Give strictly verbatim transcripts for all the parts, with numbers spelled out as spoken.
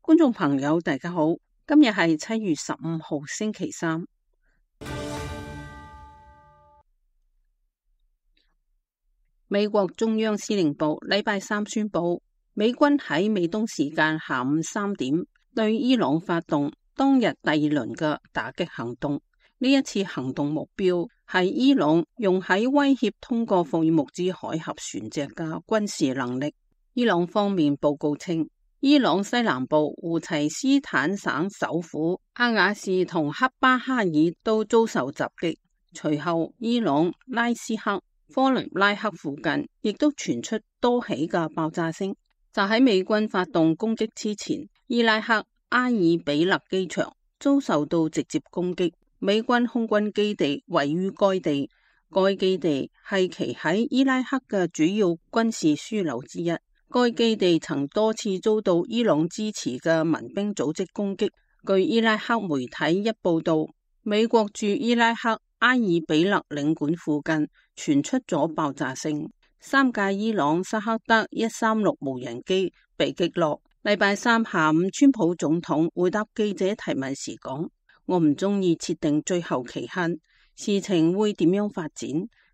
觀眾朋友大家好，今日係七月十五號星期三。美國中央司令部禮拜三宣布，美軍喺美東時間下午三點對伊朗發動當日第二輪嘅打擊行動。呢一次行動目標係伊朗用喺威脅通過霍爾木茲海峽船隻嘅軍事能力。伊朗方面報告稱，伊朗西南部胡齊斯坦省首府阿瓦士同克巴哈爾都遭受襲擊，隨後伊朗拉斯克、科林拉克附近亦都傳出多起嘅爆炸聲。就喺美軍發動攻擊之前，伊拉克阿爾比勒機場遭受到直接攻擊，美軍空軍基地位於該地，該基地係其喺伊拉克嘅主要軍事樞紐之一。該基地曾多次遭到伊朗支持嘅民兵組織攻擊。據伊拉克媒體一報道，美國駐伊拉克阿爾比勒領館附近傳出咗爆炸聲，三架伊朗薩克德一三六無人機被擊落。禮拜三下午，川普總統回答記者提問時講：我唔中意設定最後期限，事情會點樣發展，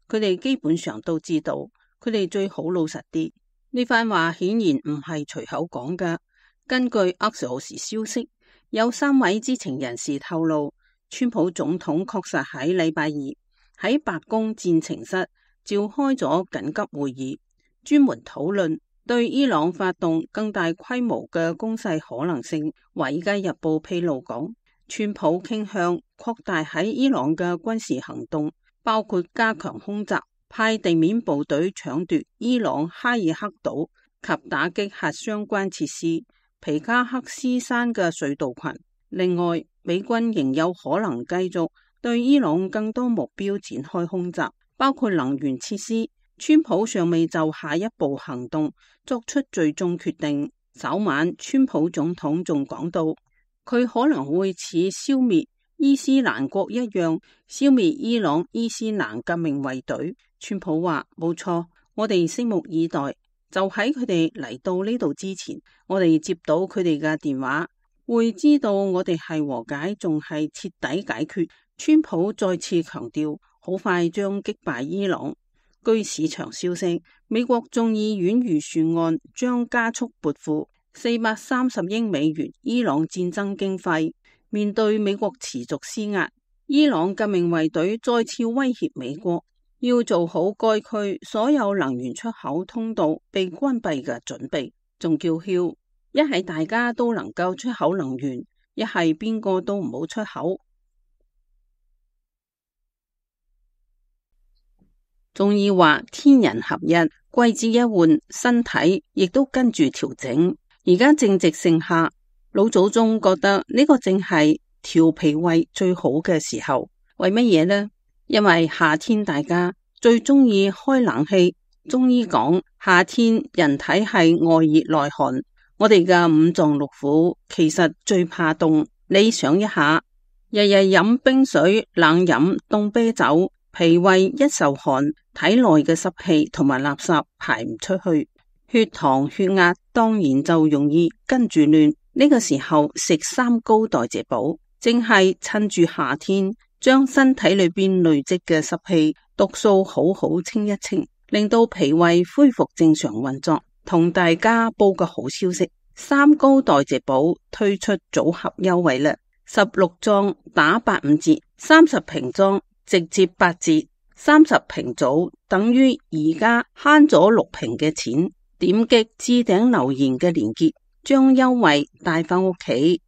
佢哋基本上都知道，佢哋最好老實啲。呢番話顯然唔係隨口講嘅。根據阿克索斯消息，有三位知情人士透露，川普總統確實喺禮拜二喺白宮戰情室召開咗緊急會議，專門討論對伊朗發動更大規模嘅攻勢可能性。華爾街日報披露講，川普傾向擴大喺伊朗嘅軍事行動，包括加強空襲、派地面部隊搶奪伊朗哈爾克島及打擊核相關設施、皮加克斯山嘅隧道群。另外，美軍仍有可能繼續對伊朗更多目標展開空襲，包括能源設施。川普尚未就下一步行動作出最終決定。稍晚，川普總統仲講到，佢可能會似消滅伊斯蘭國一樣消滅伊朗伊斯蘭革命衛隊。川普話：冇錯，我哋拭目以待。就喺佢哋嚟到呢度之前，我哋接到佢哋嘅電話，會知道我哋係和解，仲係徹底解決。川普再次強調，好快將擊敗伊朗。據市場消息，美國眾議院預算案將加速撥付四百三十億美元伊朗戰爭經費。面對美國持續施壓，伊朗革命衛隊再次威脅美國，要做好該區所有能源出口通道被關閉嘅準備，仲叫囂，一係大家都能夠出口能源，一係邊個都唔好出口。中醫話天人合一，季節一換，身體亦都跟住調整。而家正值盛夏，老祖宗覺得呢個正係調脾胃最好嘅時候。為乜嘢呢？因為夏天大家最中意開冷氣。中醫講夏天人體係外熱內寒，我哋嘅五臟六腑其實最怕凍。你想一下，日日飲冰水、冷飲凍啤酒，脾胃一受寒，體內嘅濕氣同埋垃圾排唔出去，血糖血壓當然就容易跟住亂。呢個時候食三高代謝補，正係趁住夏天將身體裏邊累積嘅濕氣毒素好好清一清，令到脾胃恢復正常運作。同大家報個好消息，三高代謝補推出組合優惠啦，十六裝打八五折，三十瓶裝直接八折，三十瓶組等於而家慳咗六瓶嘅錢。點擊置頂留言嘅連結，將優惠帶返屋企。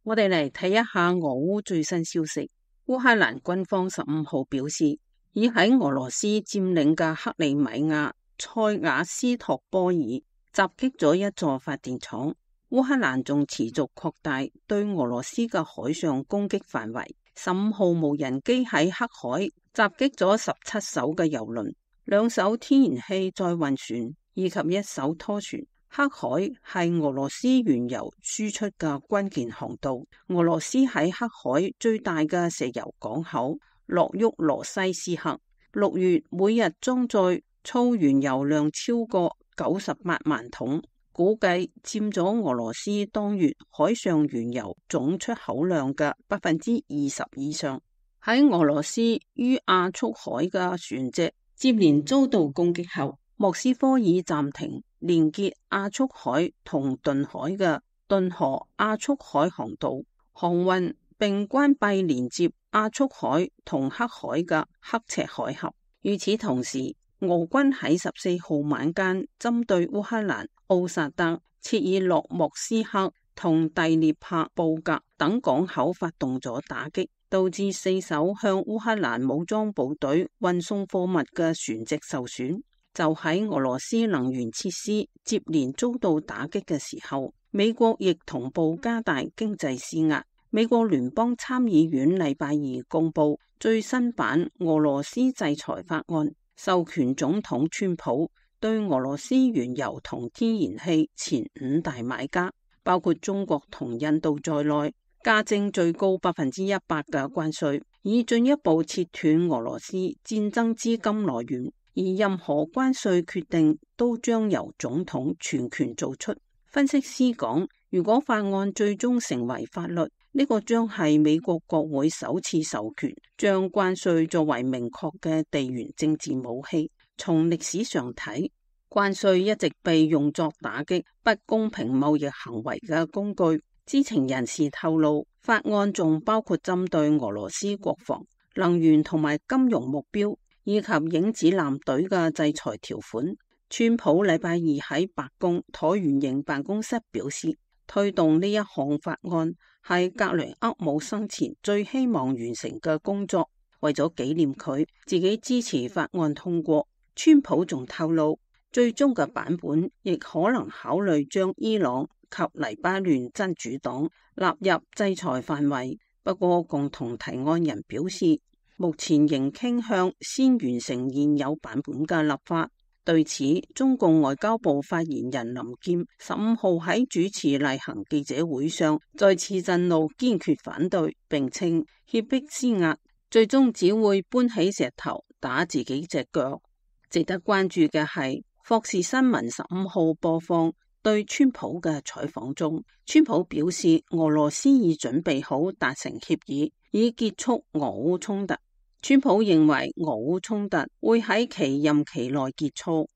我哋嚟睇一下俄烏最新消息。烏克蘭軍方十五號表示，已喺俄羅斯佔領嘅克里米亞塞瓦斯托波爾襲擊咗一座發電廠。烏克蘭仲持續擴大對俄羅斯嘅海上攻擊範圍。十五號無人機喺黑海襲擊咗十七艘嘅油輪、兩艘天然氣載運船以及一艘拖船。黑海係俄羅斯原油輸出嘅關鍵航道。俄羅斯喺黑海最大嘅石油港口諾沃羅西斯克，六月每日裝載粗原油量超過九十八萬桶，估計佔咗俄羅斯當月海上原油總出口量嘅百分之二十以上。喺俄羅斯於亞速海嘅船隻接連遭到攻擊後，莫斯科已暫停連結亞速海同頓海嘅頓河亞速海航道航運，並關閉連接亞速海同黑海嘅刻赤海峽。與此同時，俄軍喺十四號晚間針對烏克蘭奧薩德、切爾諾莫斯克同第聶伯布格等港口發動咗打擊，導致四艘向烏克蘭武裝部隊運送貨物嘅船隻受損。就喺俄羅斯能源設施接連遭到打擊嘅時候，美國亦同步加大經濟施壓。美國聯邦參議院禮拜二公布最新版俄羅斯制裁法案，授權總統川普對俄羅斯原油同天然氣前五大買家，包括中國同印度在內，加徵最高百分之一百嘅關稅，以進一步切斷俄羅斯戰爭資金來源。而任何關稅決定都將由總統全權做出。分析師講，如果法案最終成為法律，呢個將係美國國會首次授權將關稅作為明確嘅地緣政治武器。從歷史上睇，關稅一直被用作打擊不公平貿易行為嘅工具。知情人士透露，法案仲包括針對俄羅斯國防、能源同埋金融目標，以及影子艦隊嘅制裁條款。川普禮拜二喺白宮橢圓形辦公室表示，推動呢一項法案係格雷厄姆生前最希望完成嘅工作。為咗紀念佢，自己支持法案通過。川普仲透露，最終嘅版本亦可能考慮將伊朗及黎巴嫩真主黨納入制裁範圍。不過，共同提案人表示，目前仍傾向先完成現有版本嘅立法。對此，中共外交部發言人林劍十五號喺主持例行記者會上再次震怒，堅決反對，並稱脅迫施壓最終只會搬起石頭打自己隻腳。值得關注嘅係，霍士新聞十五號播放對川普嘅採訪中，川普表示俄羅斯已準備好達成協議，以結束俄烏衝突。川普認為俄烏衝突會喺其任期內結束。《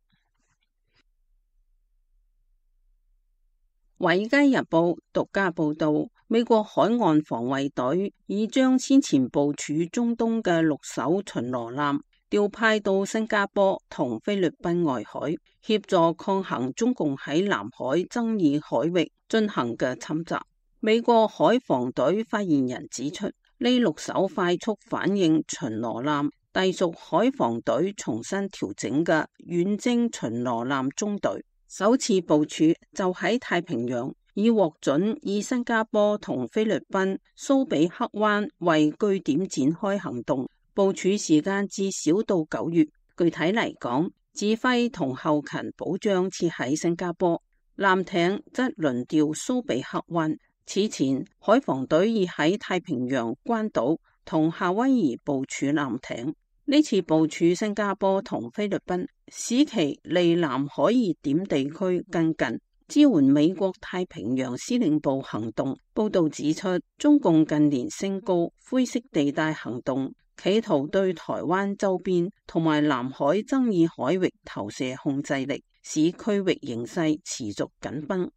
華爾街日報》獨家報道，美國海岸防衛隊已將先前部署中東嘅六艘巡邏艦調派到新加坡同菲律賓外海，協助抗衡中共喺南海爭議海域進行嘅侵襲。美國海防隊發言人指出，呢六艘快速反應巡邏艦隸屬海防隊重新調整嘅遠征巡邏艦中隊，首次部署就喺太平洋，已獲准以新加坡同菲律賓蘇比克灣為據點展開行動，部署時間至少到九月。具體嚟講，指揮同後勤保障設喺新加坡，艦艇則輪調蘇比克灣。此前，海防隊已喺太平洋關島同夏威夷部署艦艇。呢次部署新加坡同菲律賓，使其離南海熱點地區更近，支援美國太平洋司令部行動。報道指出，中共近年升高灰色地帶行動，企圖對台灣周邊同埋南海爭議海域投射控制力，使區域形勢持續緊繃。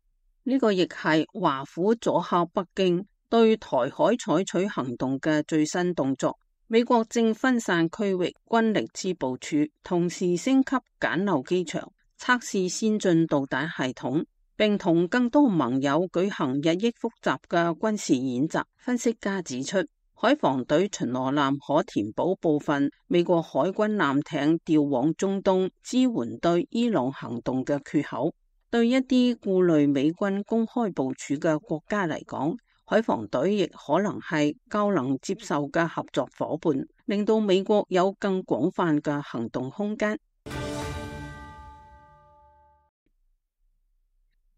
呢個亦係華府阻嚇北京對台海採取行動嘅最新動作。美國正分散區域軍力之部署，同時升級簡陋機場，測試先進導彈系統，並同更多盟友舉行日益複雜嘅軍事演習。分析家指出，海防隊巡邏艦可填補部分美國海軍艦艇調往中東支援對伊朗行動嘅缺口。對一啲顧慮美軍公開部署嘅國家嚟講，海防隊亦可能係較能接受嘅合作夥伴，令到美國有更廣泛嘅行動空間。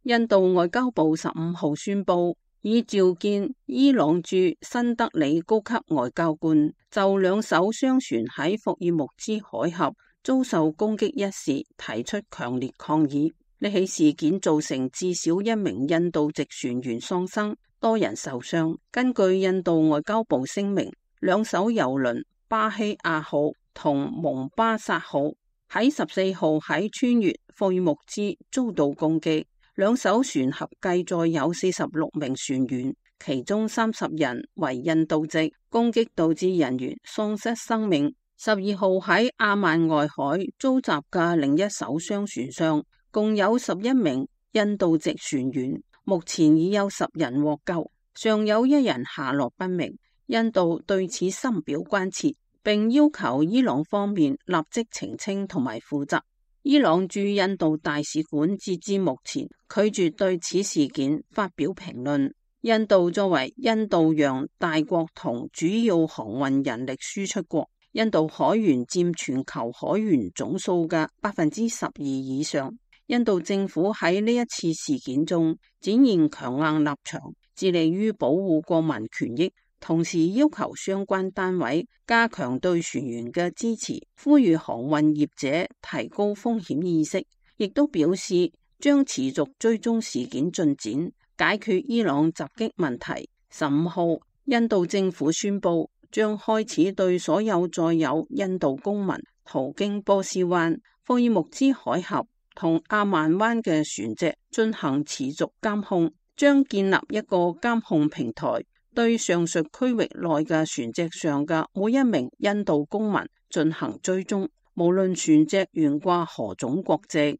印度外交部十五號宣布，已召見伊朗駐新德里高級外交官，就兩艘商船喺霍爾木茲海峽遭受攻擊一事提出強烈抗議。呢起事件造成至少一名印度籍船員喪生，多人受傷。根據印度外交部聲明，兩艘郵輪巴希亞號同蒙巴薩號喺十四號喺穿越霍爾木茲遭到攻擊，兩艘船合計載有四十六名船員，其中三十人為印度籍。攻擊導致人員喪失生命。十二號喺阿曼外海遭襲嘅另一艘商船上，共有十一名印度籍船員，目前已有十人獲救，尚有一人下落不明。印度對此深表關切，並要求伊朗方面立即澄清同埋負責。伊朗駐印度大使館截至目前拒絕對此事件發表評論。印度作為印度洋大國同主要航運人力輸出國，印度海員佔全球海員總數嘅百分之十二以上。印度政府喺呢一次事件中展現強硬立場，致力於保護國民權益，同時要求相關單位加強對船員嘅支持，呼籲航運業者提高風險意識，亦都表示將持續追蹤事件進展，解決伊朗襲擊問題。十五號，印度政府宣布將開始對所有載有印度公民途經波斯灣、霍爾木茲海峽同阿曼灣嘅船隻進行持續監控，將建立一個監控平台，對上述區域內嘅船隻上嘅每一名印度公民進行追蹤，無論船隻懸掛何種國籍。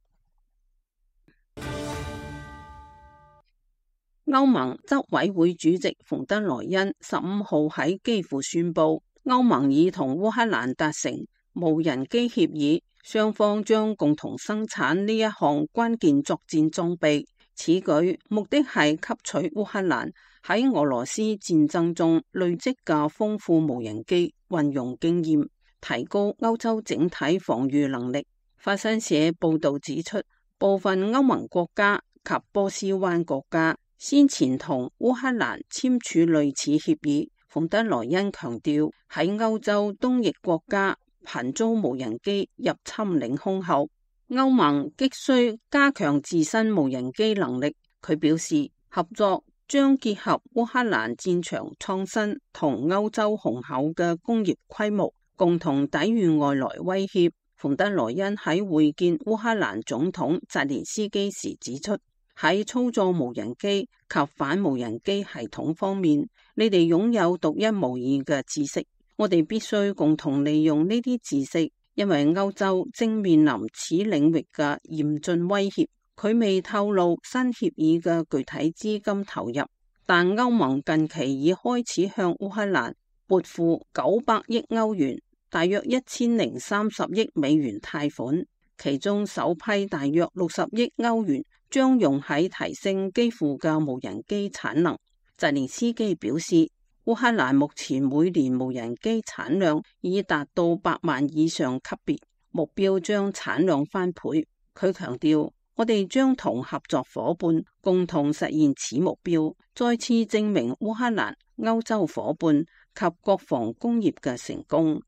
歐盟執委會主席馮德萊恩十五號喺基輔宣布，歐盟已同烏克蘭達成無人機協議，雙方將共同生產呢一項關鍵作戰裝備。此舉目的係吸取烏克蘭喺俄羅斯戰爭中累積嘅豐富無人機運用經驗，提高歐洲整體防禦能力。法新社報道指出，部分歐盟國家及波斯灣國家先前同烏克蘭簽署類似協議。馮德萊恩強調，喺歐洲東翼國家頻遭無人機入侵領空後，歐盟急需加強自身無人機能力。佢表示，合作將結合烏克蘭戰場創新同歐洲雄厚嘅工業規模，共同抵禦外來威脅。馮德萊恩喺會見烏克蘭總統澤連斯基時指出，喺操作無人機及反無人機系統方面，你哋擁有獨一無二嘅知識，我哋必須共同利用呢啲知識，因為歐洲正面臨此領域嘅嚴峻威脅。佢未透露新協議嘅具體資金投入，但歐盟近期已開始向烏克蘭撥付九百億歐元，大約一千零三十億美元貸款，其中首批大約六十億歐元將用喺提升基輔嘅無人機產能。澤連斯基表示，烏克蘭目前每年無人機產量已達到百萬以上級別，目標將產量翻倍。佢強調，我哋將同合作夥伴共同實現此目標，再次證明烏克蘭、歐洲夥伴及國防工業嘅成功。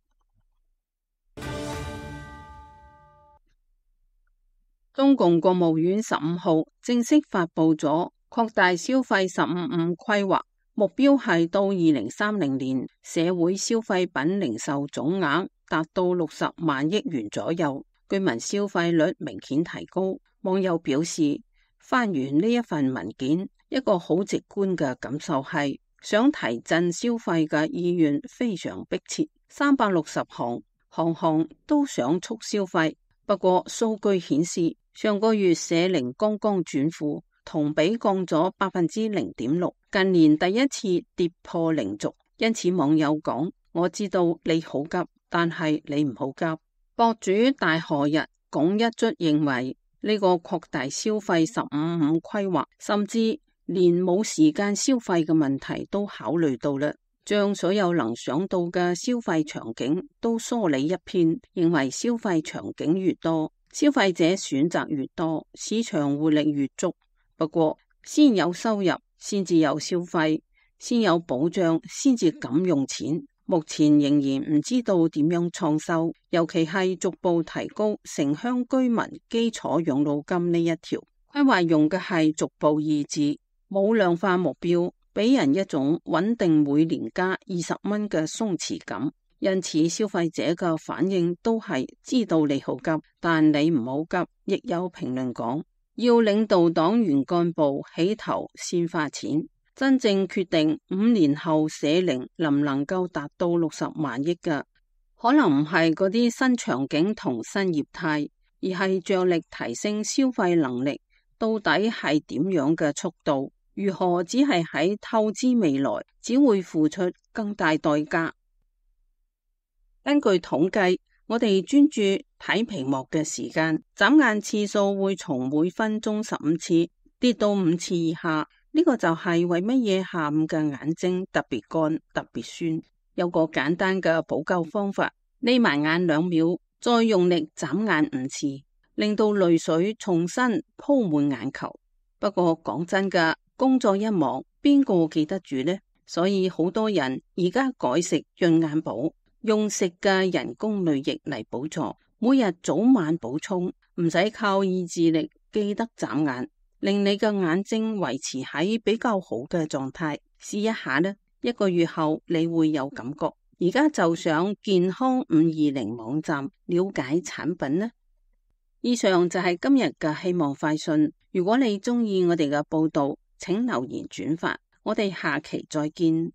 中共國務院十五號正式發布咗擴大消費十五五規劃，目標係到二零三零年社會消費品零售總額達到六十萬億元左右，居民消費率明顯提高。網友表示，翻完呢一份文件，一個好直觀嘅感受係想提振消費嘅意願非常迫切，三百六十行，行行都想促消費。不過數據顯示，上個月社零剛剛轉負，同比降咗百分之零點六，近年第一次跌破零軸。因此網友講，我知道你好急，但係你唔好急。博主大河日拱一卒認為，呢個擴大消費十五五規劃，甚至連冇時間消費嘅問題都考慮到啦，將所有能想到嘅消費場景都梳理一遍，認為消費場景越多，消費者選擇越多，市場活力越足。不過，先有收入，先至有消費；先有保障，先至敢用錢。目前仍然唔知道點樣創收，尤其係逐步提高城鄉居民基礎養老金呢一條規劃，用嘅係逐步二字，冇量化目標，俾人一種穩定每年加二十蚊嘅鬆弛感。因此消費者嘅反應都係知道你好急，但你唔好急。亦有評論講，要領導黨員幹部起頭先花錢，真正決定五年後社齡能唔能夠達到六十萬億嘅，可能唔係嗰啲新場景同新業態，而係着力提升消費能力。到底係點樣嘅速度？如何只係喺透支未來，只會付出更大代價。根據統計，我哋專注睇屏幕嘅時間，眨眼次數會從每分鐘十五次跌到五次以下。呢個就係為乜嘢下午嘅眼睛特別乾、特別酸。有個簡單嘅補救方法，眯埋眼兩秒，再用力眨眼五次，令到淚水重新鋪滿眼球。不過講真㗎，工作一忙，邊個記得住呢？所以好多人而家改食潤眼寶，用食嘅人工淚液嚟補助，每日早晚補充，唔使靠意志力記得眨眼，令你嘅眼睛維持喺比較好嘅狀態。試一下呢，一個月後你會有感覺。而家就上健康五二零網站了解產品呢。以上就係今日嘅希望快訊。如果你中意我哋嘅報道，請留言轉發。我哋下期再見。